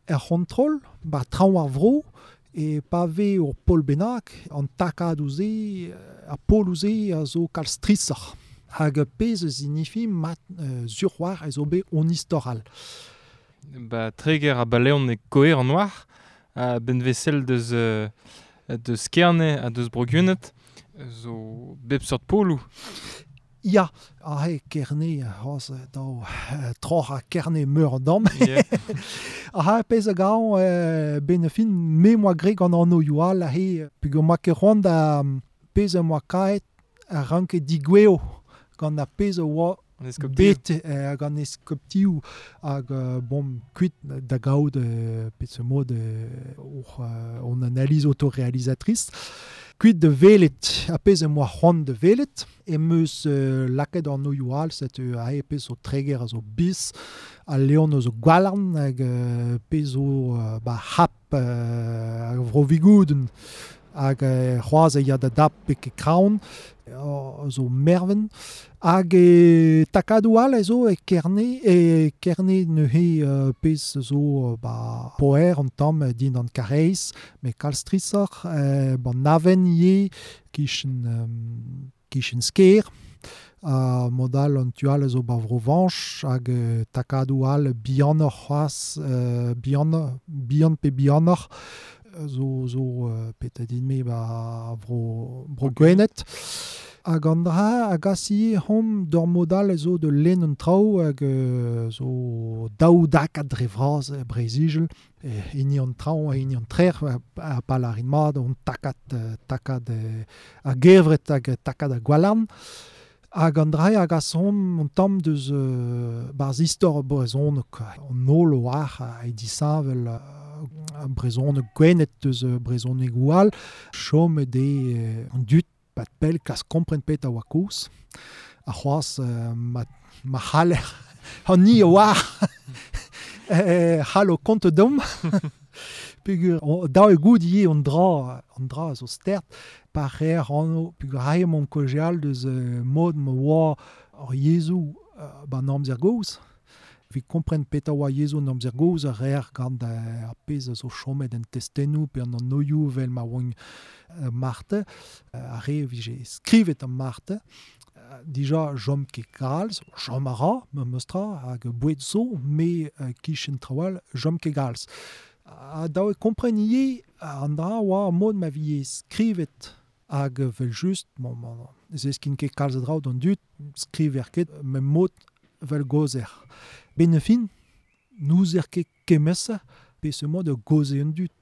Er c'hontrol, ba traoñ ar vro, e pa vez ur pol bennak, an takadoù-se, ar poloù-se a zo kalz strishoc'h. Hag pezh a signifi mat sur war ez zo bet on istor all. Ba Treger ha Baleon e koer an oar, a benvesel deus, deus Kerne ha deus Bro-Gwened, zo bep seurt poloù. Ya, aze Kerne, c'hoazh daou troc'h ha Kerne meur an damm. Yeah. Aha, pezh a gaon ben fin me moa graet gant an anvioù all aze, peogwir moa ket c'hoant da pezh am boa kaet a ranke digouezho gant ar pezh a oa An eskoptioù. bet gant eskoptioù hag bon kuit da gaout peseurt mod oc'h hon analyse autoréalisatrice kuit da welet ar pezh am boa c'hoant da welet em eus lakaet an anvioù all setu aze pezh zo Treger a zo Biz al Leon a zo Gwalarn hag pezh zo ba C'hap ar Vro-Vigoudenn hag c'hoazh e ya da dap betek Kraon zo Merven hag e takadoù all a zo e Kerne e Kerne neuze pezh zo ba Poher an tamm dindan Karaez met kalz strishoc'h ban Aven ivez kichen kichen Skaer ha mod all an tu all a zo ba Vro-Vañch hag takadoù all bihanoc'h c'hoazh bihan bihan pe bihanoc'h zo zo petra din-me ba Vro Bro-Gwened. Hag an dra a gas ivez c'homp d'ur mod all a zo da lenn an traoù hag zo daou dakad dre vras e Breizh-Izel, hini an traoñ ha hini an trec'h ha pa lârin mat on takad takad ar gevred hag takad ar gwalarn. Hag an dra a gas c'homp un tamm deus barzh istor brezhoneg. An holl oar e disheñvel brezhoneg Gwened deus brezhonegoù all. Chomet eo an dud pat pell kas kompren petra oa kaoz. Ha c'hoazh ma, ma c'haller an ni a oar c'hallo kont deomp. Peogwir dav eo goût ivez an dra an dra a zo stert pa reer anv peogwir aze emaomp kaozeal deus mod ma oa ar yezhoù ba'n amzer gozh. Evit kompren petra oa yezhoù an amzer gozh a reer gant ar pezh a zo chomet en testennoù pe an anvioù evel ma oant Marte, ar re a vije skrivet an Marte. Dija chom ket kalz, chom a ra memestra hag boued zo, met kichen traoù all chom ket kalz. Ha dav eo kompren ivez an dra oa mod ma vije skrivet hag evel-just, bon, bon, zeskiñ ket kalz a draoù d'an dud, skriver ket mem mod vel gozer. Ben fin, n'ouzer ket kemese peseurt mod a gaoze an dud.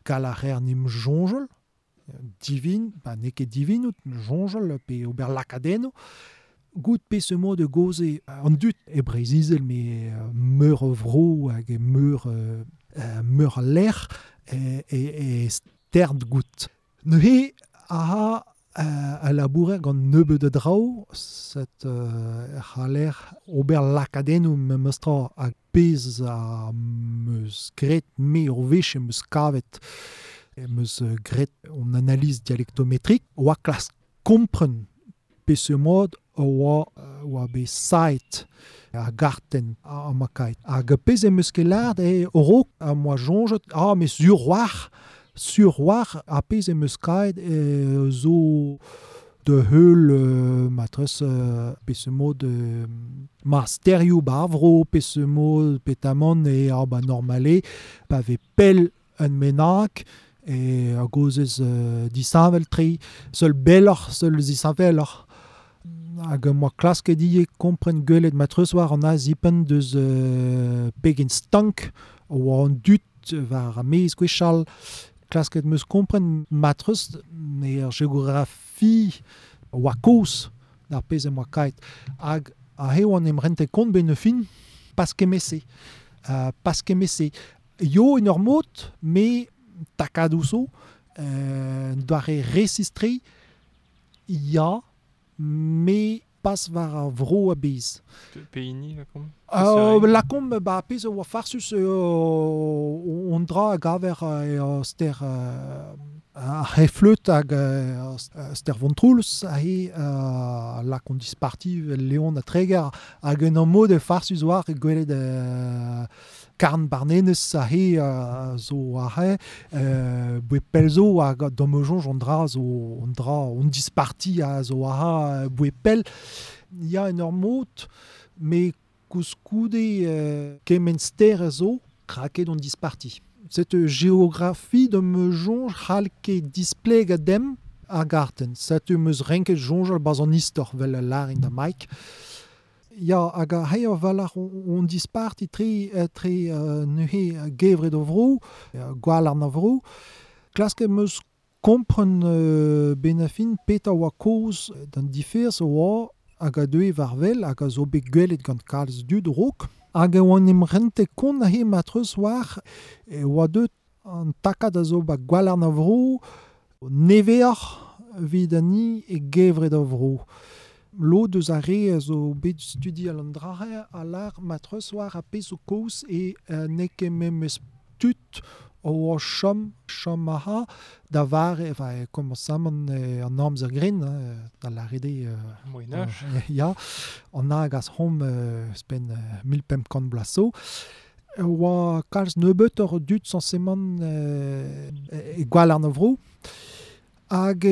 Kal a reer n'em soñjal, divin, ba n'eo ket divinout, soñjal pe ober lakadennoù. Goût peseurt mod a gaoze an dud e Breizh-Izel met meur a vro hag e meur, meur a lec'h e stern goût. Neuze aha a labourer gant nebeut a draoù, set c'haller ober lakadennoù memestra hag pezh a 'm eus graet me ur wech em eus kavet em eus graet an analyse dialectométrique oa klask kompren peseurt mod oa oa bet saet ar gartenn ha ma kaet. Hag pezh em eus ket lâret eo a-raok am boa soñjet ah mais sur war sur war ar pezh em eus kaet zo da heul matresse peseurt mod ma sterioù ba ar vro peseurt mod petamant e ah ba normal eo pa vez pell un bennak e a gaozez disheñvel-tre, seul belloc'h, seul zisheñveloc'h. Hag am boa klasket ivez kompren gwelet matreuz war an azipenn deus pegen stank oa an dud war ar maez gwechall. Klasket 'm eus kompren matreuz er geografi oa kozh d'ar pezh em boa kaet. Hag aze oan em rentet kont benn ar fin pas kement-se. Pas kement-se. Yo en ur mod, me takadoù zo, doare resis-tre, ya, me pas war ar vro a-bezh. Pehini, lakaomp? Lakaomp ba pezh a oa farsus on dra a gaver ster ar c'hefleud hag ster Vontroulez aze lakaomp disparti Leon ha Treger hag en ur mod farsus war gwelet Karn Barnenez a he zo a he, boe pelzo hag dommejonj on dra zo on dra on disparti a zo a ha boe pel. Ya en ur mot, me koulskoude kement ster a zo kraket on disparti. Cette géographie de me jonj c'hall ket displeg a dem ar garten. Setu meus renket jonjal baz an istor vel a larin da Mike. Ya, hag a hei ur valar on disparti tre neuze gevret o vro, gwall ar na vro. Klaske meus kompren benafin peta oa koz d'an diferz oa hag a deue war vel hag a zo bet gwelet gant kalz dud rok. Hag e oan em rente kont a he matreus war e oa deut an takad a zo ba gwall ar na vro neveoc'h evit ani e gevret a vro. Lod eus ar re a zo bet studial an drahe a lar matreus war a pezh zo koz e n'eo ket memes tud o chom chom aha da vare enfin komañsamant an amzer grin da larede Moyen-Âge. Ya an hag as hom spen 1500 bloaz zo. Oa kalz nebeut ur dud sañsemant e gwall ar vro. Hag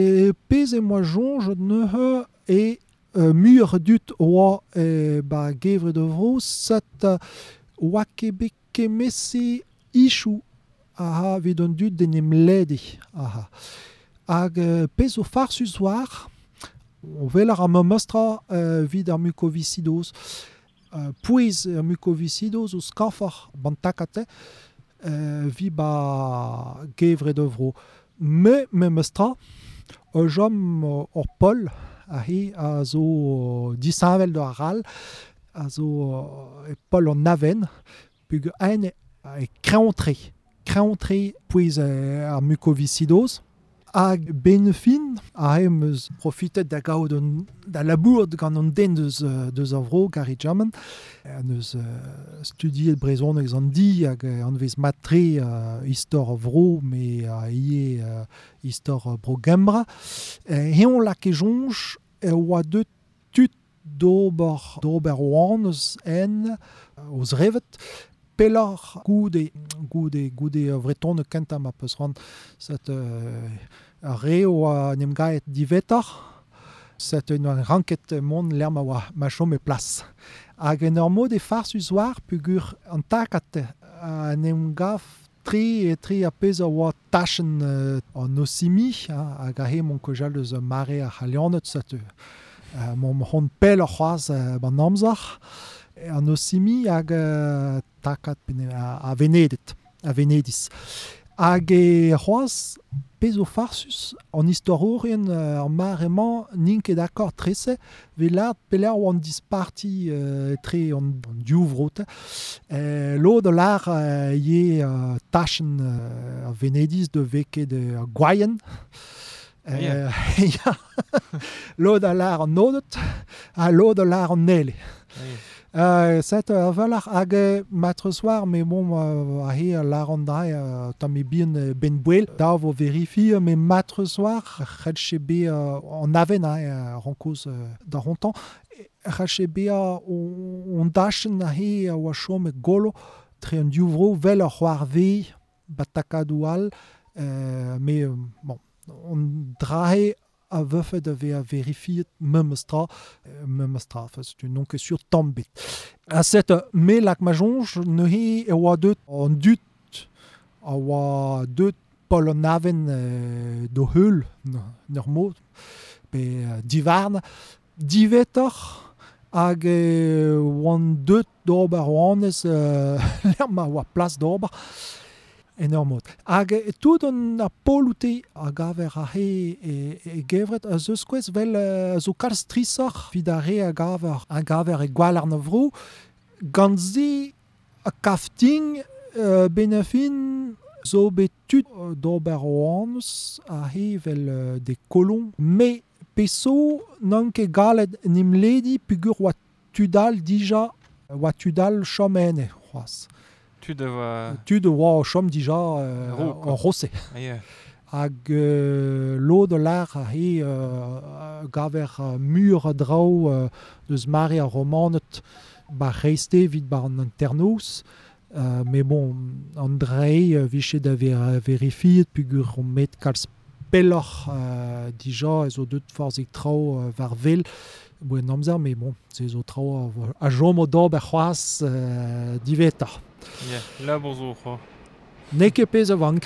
pezh e moa soñj neuze e mur dud oa ba gevret o vro set oa ket bet kemese ichou aha evit an dud d'en em lede aha. Hag pezh zo farsus war o weler ar memestra evit ar mukoviscidoz. Pouez ar mukoviscidoz o skañfoc'h ban takate vi ba gevret o vro. Me memestra o jom ur pol a he a zo disheñvel d'ar ral a zo e pol an aven pug ein e kreñv-tre. Kreñv-tre pouez ar mukoviscidoz. Hag benefin a he meus profitet da gaout an, da labour gant an den deus ar vro, Gary German. An eus studiet brezhoneg an di hag an vez mat-tre istor ar vro, me a ie istor bro Gembra. Heon lak e soñj e oa deut tud d'ober oan eus en oz revet. Pelloc'h goude vretonne kentañ ma peus ran set ar re oa en em gaet divetoc'h set un oa ranket mont lec'h ma oa ma chom e plas. Hag en ur mod e farsus war pugur an takat en em gav tre a pezh a oa tachenn an osimi hag a he mont kojal eus mare ar c'halianed set mont hon pell ar c'hoazh ban amzer. An osimi hag takat a Venedet, a Venediz. Hag e c'hoazh pezh zo farsus an istorourien ar mare-mañ n'int ket d'accord trese evit lâret pelec'h oa an disparti tre an div vrote. Lod a lâr ivez tachenn a Venediz de veket ar Gwaien. Ya. Lod a lâr an Odet ha lod a lâr an Nele. Set a valac'h hag matreus war, me bon a he a lâr an dra tamm e bihan ben bouel. Da vo verifi me matreus war c'hellche be an aven rankoz da rontañ. C'hellche be on dachenn a he a oa chom e golo tre an div vro vel ar c'hoarve batakadoù all me bon on drahe a vefe da vezañ verifiet memestra memestra enfin, c'est non ket sur tamm bet. A set me lak ma soñj neuze e oa deut an dud a oa deut pol an aven d'o heul n'ur mod pe divarn divetoc'h hag oan deut d'ober oanez lec'h ma oa plas d'ober en ur mod. Hag tout an ar poloute a gaver a he e gevret a zeus kouez vel a zo kalz strisoc'h evit ar re a gaver e gwall ar vro gant se a kafting benafin zo bet tud d'ober oanez a he vel de kolon. Me peso n'an ket galet n'im ledi pugur oa tudal dija oa tudal chom ene c'hoazh. Tud a oa Tud a oa o chom dija Ro, quoi. en Rosé. Ah, yeah. Hag lod a lâr a he gaver mur a draoù deus mare ar romanet ba reiste evit ba an anternoz. Mais bon, an drei viche da ver verifiet pugur on met kalz pelloc'h dija ez o deut forzik traoù war vel boen amzer, mais bon, se zo traoù a jom o d'ober c'hoazh diveta. Yeah, labour zo c'ho. N'eo ket pezh a vank.